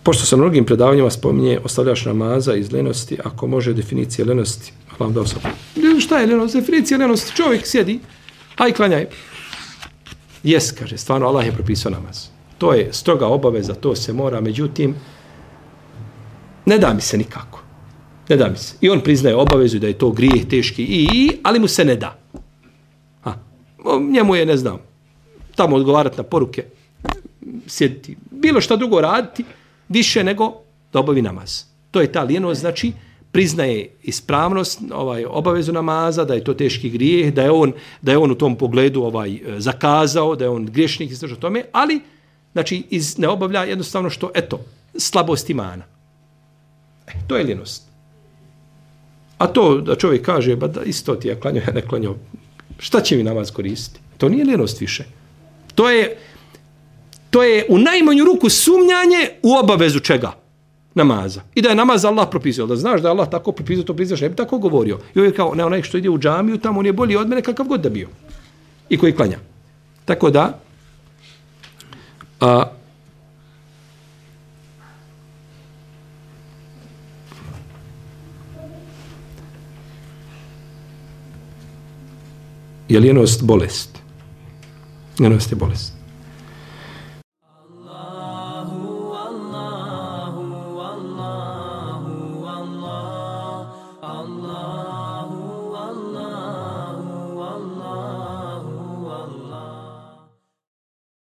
Pošto se na mnogim predavanjima spominje ostavljaš namaza iz lenosti, ako može definicija lenosti, hvala dao sam. Šta je lenost? Definicija lenosti, čovjek sjedi, aj klanjaj. Jes, kaže, stvarno Allah je propisao namaz. To je stroga obaveza, to se mora, međutim, ne da mi se nikako. Ne da mi se. I on priznaje obavezu da je to grijeh teški, ali mu se ne da. Njemu je, ne znam, tamo odgovarati na poruke, sjediti, bilo šta drugo raditi, više nego da obavi namaz. To je ta lijenost, znači, priznaje ispravnost, obavezu namaza, da je to teški grijeh, da je on u tom pogledu zakazao, da je on griješnik izdržao tome, ali znači ne obavlja jednostavno što, eto, slabost imana. To je lijenost. A to da čovjek kaže, ba da isto ti ja klanjao, ja ne klanjao, šta će mi namaz koristiti? To nije lijenost više. To je u najmanju ruku sumnjanje u obavezu čega? Namaza. I da je namaz Allah propisao. Da znaš da je Allah tako propisao, to priznaš, ne bi tako govorio. I on je kao, ne, onaj što ide u džamiju, tamo on je bolji od mene kakav god da bio. I koji klanja. Tako da, je lijenost bolest. Lijenost je bolest.